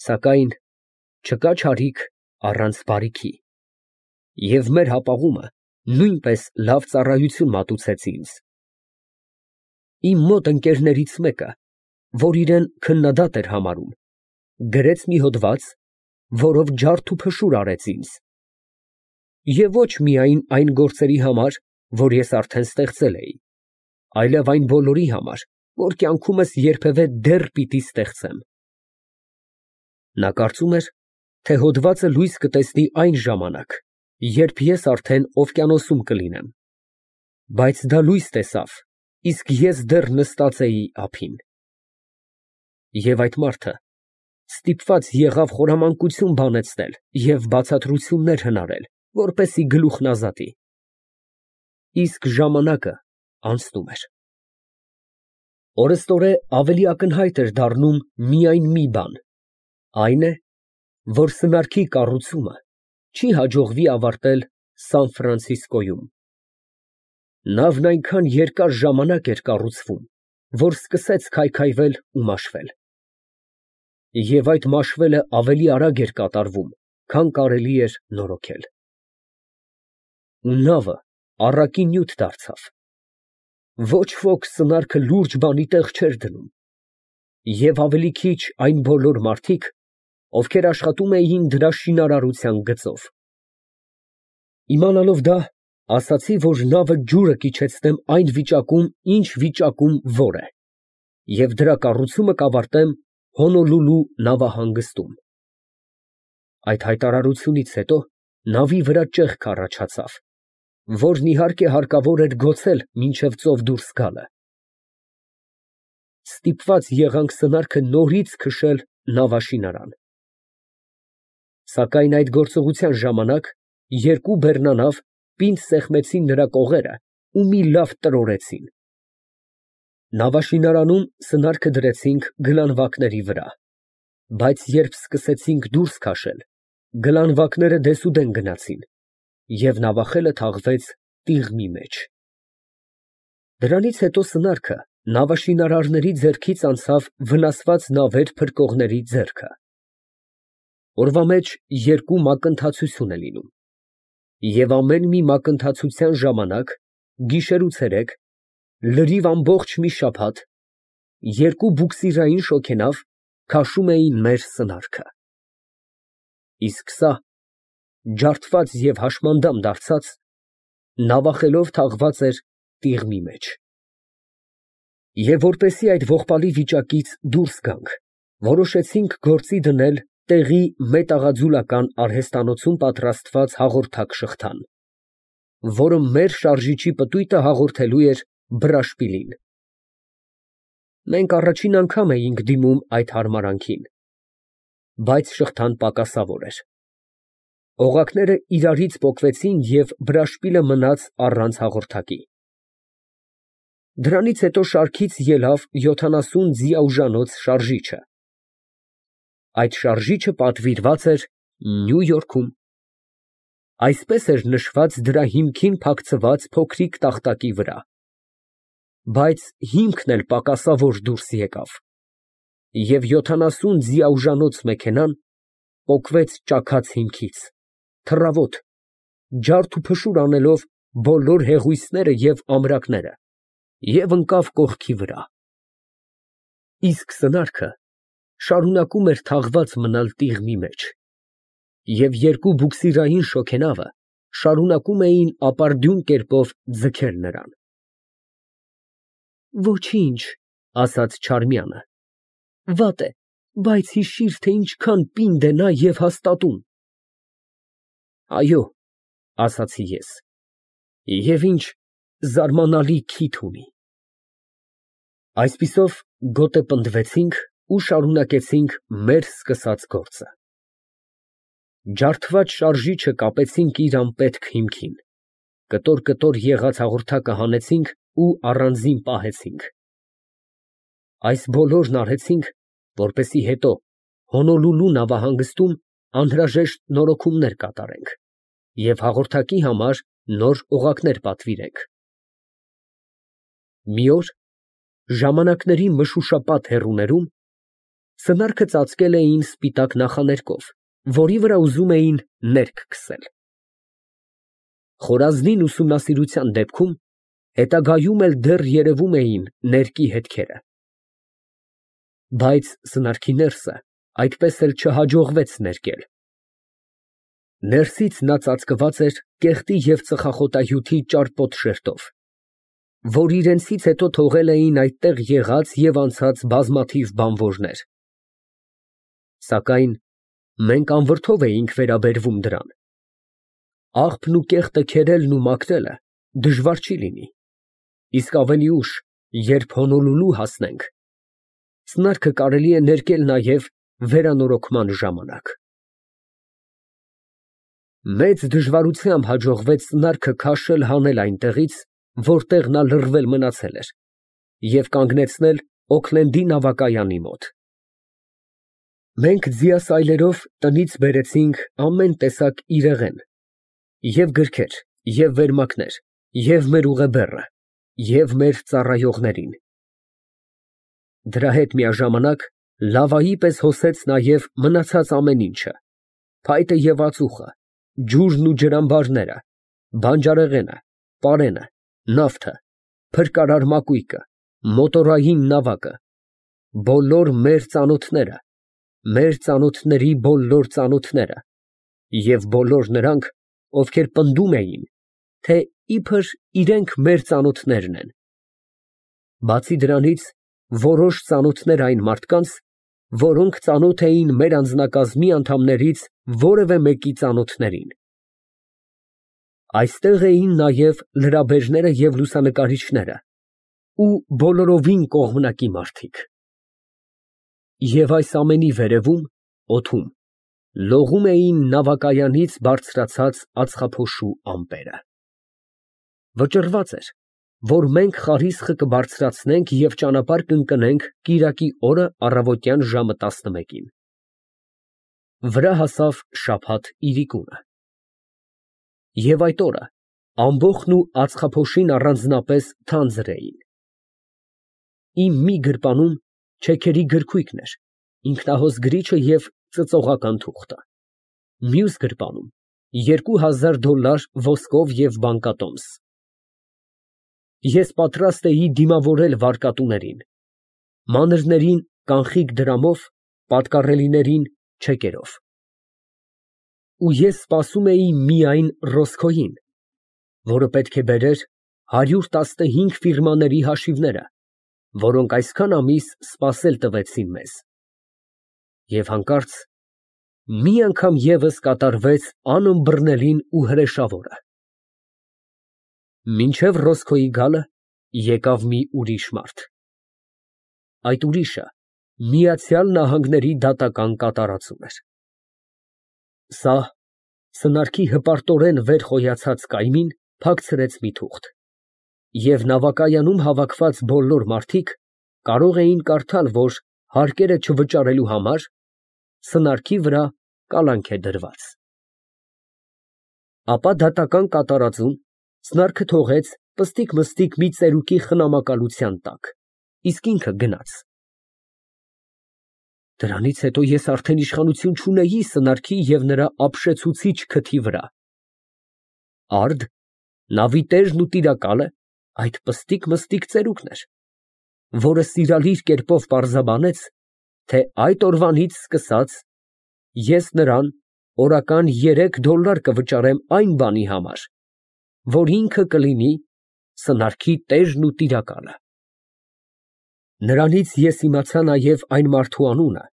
Սակայն չկա չարիք առանց բարիքի, և մեր հապաղումը նույնպես լավ ծառայություն մատուցեց ինձ։ Իմ մոտ ընկերներից մեկը, որ իրան քննադատ էր համարում, գրեց մի հոդված, որով ջարդ ու փշուր արեց ինձ, և ոչ միայն այն գործերի համար, որ ես արդեն ստեղծել էի, այլև այն բոլորի համար, որ կյանքումս երբևէ դեռ պիտի ստեղծեմ։ Նա կարծում էր, թե հոդվածը լույս կտեսնի այն ժամանակ, երբ ես արդեն օվկիանոսում կլինեմ, բայց դա լույս տեսավ, իսկ ես դեռ նստած էի ափին։ Եվ այդ մարդը ստիպված եղավ խորամանկություն բանեցնել և բացատրություններ հնարել, որպեսզի գլուխն ազատի։ Իսկ ժամանակը անցնում էր։ Օրըստօրե ավելի ակնհայտ էր դառնում միայն մի բան, այն է, որ սնարքի կառուցումը չի հաջողվի ավարտել Սան Ֆրանցիսկոյում։ Նավն այնքան երկար ժամանակ էր կառուցվում, որ սկսեց քայքայվել ու մաշվել։ Եվ այդ մաշվելը ավելի արագ էր կատարվում, քան կարելի էր նորոգել։ Ու նավը առակի նյութ դարձավ։ Ոչ ոք սնարքը լուրջ բանի տեղ չէր դնում, և ավելի քիչ այն բոլոր մարդիկ, ովքեր աշխատում էին դրա շինարարության գծով։ Իմանալով դա, ասացի, որ նավը ջուրը կիջեցնեմ այն վիճակում, ինչ վիճակում որ է, և դրա կառուցումը կավարտեմ Հոնոլուլու նավահանգստում։ Այդ հայտարարությունից հետո նավի վրա ճեղք առաջացավ, որն իհարկե հարկավոր էր գոցել մինչև ծով դուրս գալը։ Ստիպված եղանք սնարքը նորից քշել նավաշինարան։ Սակայն այդ գործողության ժամանակ երկու բեռնանավ պինդ սեղմեցին նրա կողերը ու մի լավ տրորեցին։ Նավաշինարանում սնարքը դրեցինք գլանվակների վրա, բայց երբ սկսեցինք դուրս քաշել, գլանվակները դեսուդեն գնացին, և նավախելը թաղվեց տիղմի մեջ։ Դրանից հետո սնարքը նավաշինարարների ձեռքից անցավ վնասված նավեր փրկողների ձեռքը։ Օրվա մեջ երկու մակընթացություն է լինում, և ամեն մի մակընթացության ժամանակ, գիշեր ու ցերեկ, լրիվ ամբողջ մի շաբաթ, երկու բուքսիրային շոգենավ քաշում էին մեր սնարքը։ Իսկ սա, ջարդված և հաշմանդամ դարձած, նավախելով թաղված էր տիղմի մեջ։ Եվ որպեսզի այդ ողբալի վիճակից դուրս գանք, որոշեցինք գործի դնել տեղի մետաղաձուլական արհեստանոցում պատրաստված հաղորդակ շղթան, որը մեր շարժիչի պտույտը հաղորդելու էր brաշպիլին։ Մենք առաջին անգամ էինք դիմում այդ հարմարանքին, բայց շղթան պակասավոր էր։ Օղակները իրարից պոկվեցին և brաշպիլը մնաց առանց հաղորդակի։ Դրանից հետո շարքից ելավ 70 ձիաուժանոց շարժիչը։ Այդ շարժիչը պատվիրված էր Նյու Յորքում։ Այսպես էր նշված դրա հիմքին փակցված փոքրիկ տախտակի վրա, բայց հիմքն էլ պակասավոր դուրս եկավ, և 70 ձիաուժանոց մեքենան պոկվեց ճաքած հիմքից, թռավոտ, ջարդ ու փշուր անելով բոլոր հեղույսները և ամրակները, և ընկավ կողքի վրա։ Իսկ սնարքը շարունակում էր թաղված մնալ տիղմի մեջ, և երկու բուքսիրային շոգենավը շարունակում էին ապարդյուն կերպով ձգել նրան։ Ոչինչ, ասաց Չարմյանը, վատ է, բայց հիշիր, թե ինչքան պինդ է նա և հաստատուն։ Այո, ասացի ես, և ինչ զարմանալի քիթ ունի։ Այսպիսով գոտեպնդվեցինք ու շարունակեցինք մեր սկսած գործը։ Ջարդված շարժիչը կապեցինք իր անպետք հիմքին, կտոր եղած հաղորդակը հանեցինք ու առանձին պահեցինք։ Այս բոլորն արեցինք, որպեսզի հետո Հոնոլուլու նավահանգստում անհրաժեշտ նորոգումներ կատարենք և հաղորդակի համար նոր օղակներ պատվիրենք։ Մի օր ժամանակների մշուշապատ հեռուներում Սնարքը ծածկել էին սպիտակ նախաներկով, որի վրա ուզում էին ներք քսել։ Խորազնին ուսումնասիրության դեպքում հետագայում էլ դեռ երևում էին ներկի հետքերը։ Բայց սնարքի ներսը այդպես էլ չհաջողվեց ներկել։ Ներսից նա ծածկված էր կեղտի և ծխախոտահյութի ճարպոտ շերտով, որ իրենցից հետո թողել էին այդտեղ եղած և անցած բազմաթիվ բանվորներ։ Սակայն մենք անվրդով էինք վերաբերվում դրան։ Աղբն ու կեղտը քերելն ու մաքրելը դժվար չի լինի, իսկ ավելի ուշ, երբ Հոնոլուլու հասնենք, սնարքը կարելի է ներկել նաև վերանորոգման ժամանակ։ Մեծ դժվարությամբ հաջողվեց սնարքը քաշել հանել այնտեղից, որտեղ նա լռվել մնացել էր, և կանգնեցնել Օքլենդի նավակայանի մոտ։ Մենք ձիասայլերով տնից բերեցինք ամեն տեսակ իրեղեն, և գրքեր, և վերմակներ, և մեր ուղեբեռը, և մեր ծառայողներին։ Դրա հետ միաժամանակ լավայի պես հոսեց նաև մնացած ամեն ինչը, փայտը և ածուխը, ջուրն ու ջրամբարները, բանջարեղենը, պարենը, նավթը, փրկարար մակույկը, մոտորային նավակը, բոլոր մեր ծանոթները, մեր ծանոթների բոլոր ծանոթները և բոլոր նրանք, ովքեր պնդում էին, թե իբր իրենք մեր ծանոթներն են։ Բացի դրանից, որոշ ծանոթներ այն մարդկանց, որոնք ծանոթ էին մեր անձնակազմի անդամներից որևէ մեկի ծանոթներին։ Այստեղ էին նաև լրաբերները և լուսանկարիչները ու բոլորովին կողմնակի մարդիկ։ Եվ այս ամենի վերևում, օդում, լողում էին նավակայանից բարձրացած ածխափոշու ամպերը։ Վճռված էր, որ մենք խարիսխը կբարձրացնենք և ճանապարհ կընկնենք կիրակի օրը առավոտյան ժամը 11-ին։ Վրա հասավ շաբաթ իրիկունը։ Եվ այդ օրը ամբոխն ու ածխափոշին առանձնապես թանձր էին։ Իմ մի գրպանում չեքերի գրքույկն էր, ինքնահոս գրիչը և ծծողական թուղթը, մյուս գրպանում $2000 ոսկով և բանկատոմս։ Ես պատրաստ էի դիմավորել վարկատուներին, մանրներին կանխիկ դրամով, պատկառելիներին չեկերով։ Ու ես սպասում էի միայն Ռոսկոյին, որը պետք է բերեր 115 ֆիրմաների հաշիվները, որոնք այսքան ամիս սպասել տվեցին մեզ։ Եվ հանկարծ մի անգամ ևս կատարվեց անըմբռնելին ու հրեշավորը։ Մինչև Ռոսկոյի գալը եկավ մի ուրիշ մարդ։ Այդ ուրիշը Միացյալ Նահանգների դատական կատարածում էր։ Սա սնարքի հպարտորեն վեր խոյացած կայմին փակցրեց մի թուղթ, և նավակայանում հավաքված բոլոր մարդիկ կարող էին կարդալ, որ հարկերը չվճարելու համար սնարքի վրա կալանք է դրված։ Ապա դատական կատարածում սնարքը թողեց պստիկ֊մստիկ մի ծերուկի խնամակալության տակ, իսկ ինքը գնաց։ Դրանից հետո ես արդեն իշխանություն չունեի սնարքի և նրա ապշեցուցիչ քթի վրա։ Արդ, նավի տերն ու տիրակալը այդ պստիկ֊մստիկ ծերուկն էր, որը սիրալիր կերպով պարզաբանեց, թե այդ օրվանից սկսած ես նրան օրական $3 կվճարեմ այն բանի համար, որ ինքը կլինի սնարքի տերն ու տիրակալը։ Նրանից ես իմացա նաև այն մարդու անունը,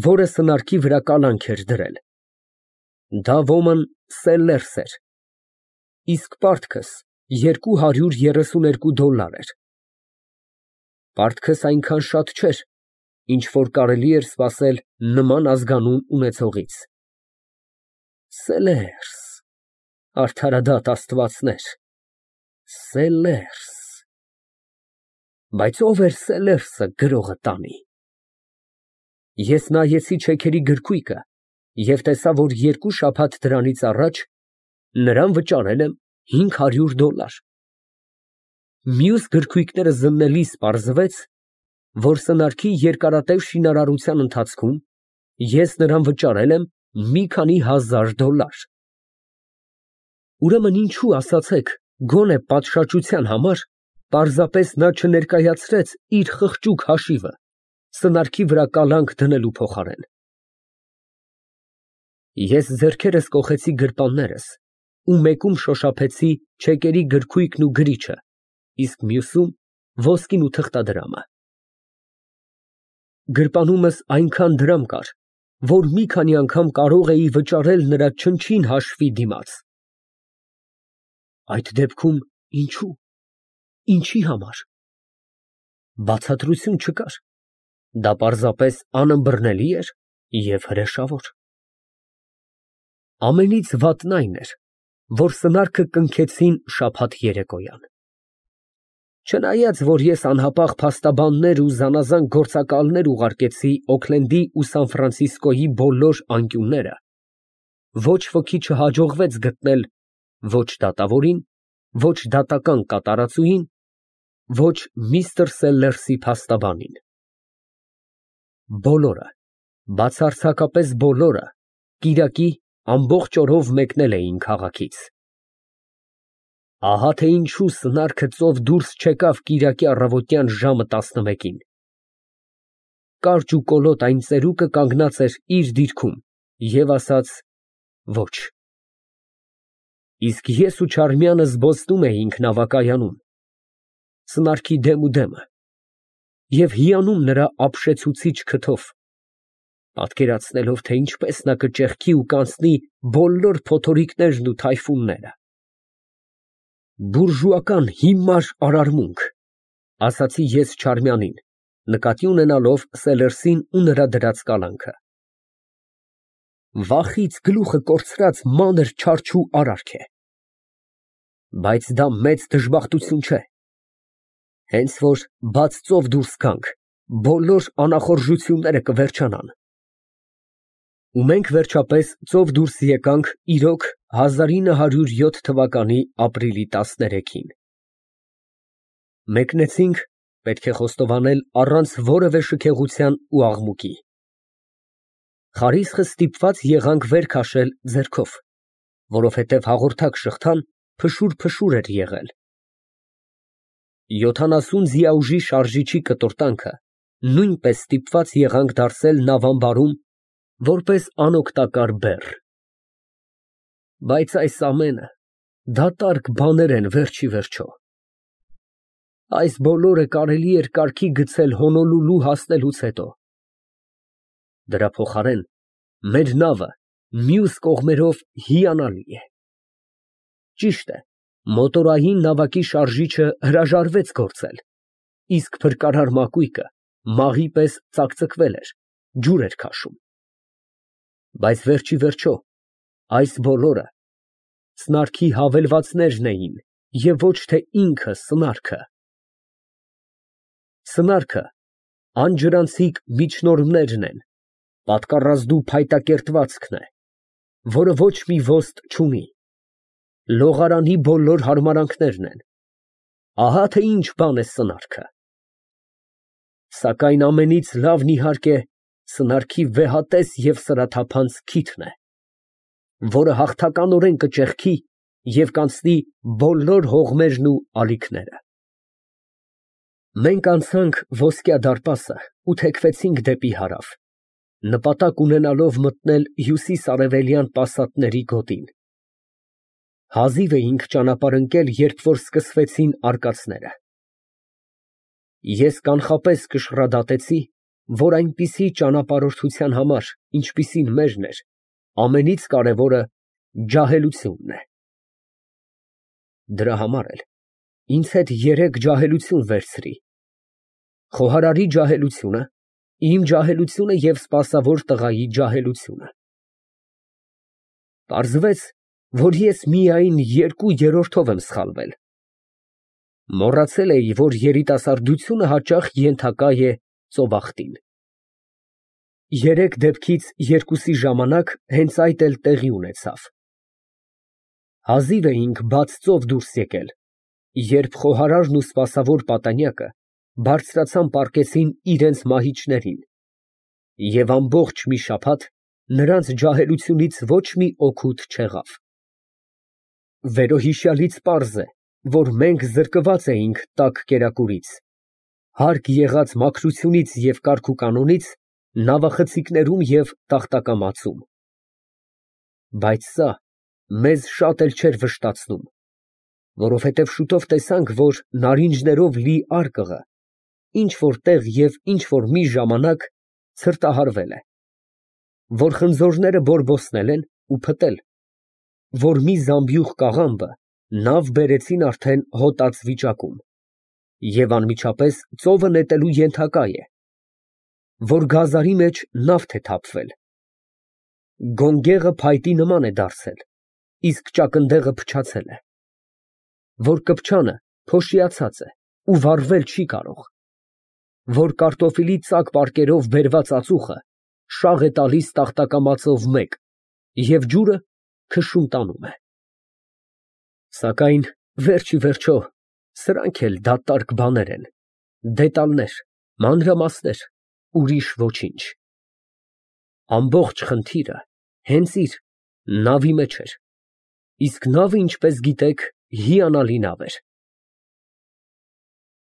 որը սնարքի վրա կալանք էր դրել։ Դա ոմն Սելլերս էր, իսկ պարտքս $232 էր։ Պարտքս այնքան շատ չէր, ինչ որ կարելի էր սպասել նման ազգանուն ունեցողից։ Սելլերս, արդարադատ աստվածներ, Սելլերս։ Բայց ո՞վ էր Սելլերսը գրողը տանի։ Ես նայեցի չեքերի գրքույկը և տեսա, որ 2 շաբաթ դրանից առաջ նրան վճարել եմ $500։ Մյուս գրքույկները զննելիս պարզվեց, որ սնարքի երկարատև շինարարության ընթացքում ես նրան վճարել եմ մի քանի հազար $։ Ուրեմն ինչու, ասացեք, գոնե պատշաճության համար պարզապես նա չներկայացրեց իր խղճուկ հաշիվը սնարքի վրա կալանք դնելու փոխարեն։ Ես ձեռքերս կոխեցի գրպաններս ու մեկում շոշափեցի չեկերի գրքույկն ու գրիչը, իսկ մյուսում ոսկին ու թղթադրամը։ Գրպանումս այնքան դրամ կար, որ մի քանի անգամ կարող էի վճարել նրա չնչին հաշվի դիմաց։ Այդ դեպքում ինչու, ինչի համար։ Բացատրություն չկար, դա պարզապես անըմբռնելի էր և հրեշավոր։ Ամենից վատն այն էր, որ սնարքը կնքեցին շաբաթ երեկոյան։ Չնայած, որ ես անհապաղ փաստաբաններ ու զանազան գործակալներ ուղարկեցի Օքլենդի ու Սան Ֆրանցիսկոյի բոլոր անկյունները, ոչ ոքի չհաջողվեց գտնել ոչ դատավորին, ոչ դատական կատարածուհին, ոչ միստր Սելլերսի փաստաբանին։ Բոլորը, բացարձակապես բոլորը, կիրակի ամբողջ օրով մեկնել էին քաղաքից։ Ահա թե ինչու սնարքը ծով դուրս չեկավ կիրակի առավոտյան ժամը 11-ին։ Կարճ ու կոլոտ այն ծերուկը կանգնած էր իր դիրքում և ասաց ոչ։ Իսկ ես ու Չարմյանը զբոսնում էինք նավակայանում, սնարքի դեմ ու դեմը, և հիանում նրա ապշեցուցիչ քթով, պատկերացնելով, թե ինչպես նա կճեղքի ու կանցնի բոլոր փոթորիկներն ու թայֆունները։ Բուրժուական հիմար արարմունք, ասացի ես Չարմյանին, նկատի ունենալով Սելերսին ու նրա դրած կալանքը։ Վախից գլուխը կորցրած մանր չարչու արարք է։ Բայց դա մեծ դժբախտություն չէ։ Հենց որ բաց ծով դուրս գանք, բոլոր անախորժությունները կվերջանան։ Ու մենք վերջապես ծով դուրս եկանք իրոք 1907 թվականի ապրիլի 13-ին։ Մեկնեցինք, պետք է խոստովանել, առանց որևէ շքեղության ու աղմուկի։ Խարիսխը ստիպված եղանք վեր քաշել ձեռքով, որովհետև հաղորդակ շղթան փշուր էր եղել։ 70 ձիաուժի շարժիչի կտորտանքը նույնպես ստիպված եղանք դարսել նավամբարում որպես անօգտակար բեռ։ Բայց այս ամենը դատարկ բաներ են վերջ ի վերջո։ Այս բոլորը կարելի էր կարգի գցել Հոնոլուլու հասնելուց հետո։ Դրա փոխարեն մեր նավը մյուս կողմերով հիանալի է։ Ճիշտ է, մոտորային նավակի շարժիչը հրաժարվեց գործել, իսկ փրկարար մակույկը մաղի պես ծակծկվել էր, ջուր էր քաշում։ Բայց վերջ ի վերջո այս բոլորը սնարքի հավելվածներն էին և ոչ թե ինքը սնարքը։ Սնարքը անջրանցիկ միջնորդներն են, պատկառազդու փայտակերտվածքն է, որը ոչ մի ոստ չունի, լողարանի բոլոր հարմարանքներն են, ահա թե ինչ բան է սնարքը։ Սակայն ամենից լավն իհարկե սնարքի վեհատես և սրաթափանց քիթն է, որը հաղթականորեն կճեղքի և կանցնի բոլոր հողմերն ու ալիքները։ Մենք անցանք Ոսկյա դարպասը ու թեքվեցինք դեպի հարավ, նպատակ ունենալով մտնել հյուսիս֊արևելյան պասատների գոտին։ Հազիվ էինք ճանապարհ ընկել, երբ որ սկսվեցին արկածները։ Ես կանխապես կշռադատեցի, որ այնպիսի ճանապարհորդության համար, ինչպիսին մերն էր, ամենից կարևորը ջահելությունն է։ Դրա համար էլ ինձ հետ 3 ջահելություն վերցրի. խոհարարի ջահելությունը, իմ ջահելությունը և սպասավոր տղայի ջահելությունը։ Պարզվեց, որ ես միայն 2/3 եմ սխալվել։ Մոռացել էի, որ երիտասարդությունը հաճախ ենթակա է ծովախտին։ 3 դեպքից 2-ի ժամանակ հենց այդ էլ տեղի ունեցավ։ Հազիվ էինք բաց ծով դուրս եկել, երբ խոհարարն ու սպասավոր պատանյակը բարձրացան պառկեցին իրենց մահիճներին, և ամբողջ մի շաբաթ նրանց ջահելությունից ոչ մի օգուտ չեղավ։ Վերոհիշյալից պարզ է, որ մենք զրկված էինք տաք կերակուրից, հարկ եղած մաքրությունից և կարգուկանոնից նավախցիկներում և տախտակամածում։ Բայց սա մեզ շատ էլ չէր վշտացնում, որովհետև շուտով տեսանք, որ նարինջներով լի արկղը ինչ֊որ տեղ և ինչ֊որ մի ժամանակ ցրտահարվել է, որ խնձորները բորբոցնել են ու փտել, որ մի զամբյուղ կաղամբը նավ բերեցին արդեն հոտած վիճակում և անմիջապես ծովը նետելու ենթակա է, որ գազարի մեջ նավթ է թափվել, գոնգեղը փայտի նման է դարձել, իսկ ճակնդեղը փչացել է, որ կպչանը փոշիացած է ու վառվել չի կարող, որ կարտոֆիլի ծակ պարկերով բերված ածուխը շաղ է տալիս տախտակամածով մեկ և ջուրը քշում տանում է։ Սակայն վերջ ի վերջո սրանք էլ դատարկ բաներ են, դետալներ, մանրամասներ, ուրիշ ոչինչ։ Ամբողջ խնդիրը հենց իր նավի մեջ էր, իսկ նավը, ինչպես գիտեք, հիանալի նավ էր։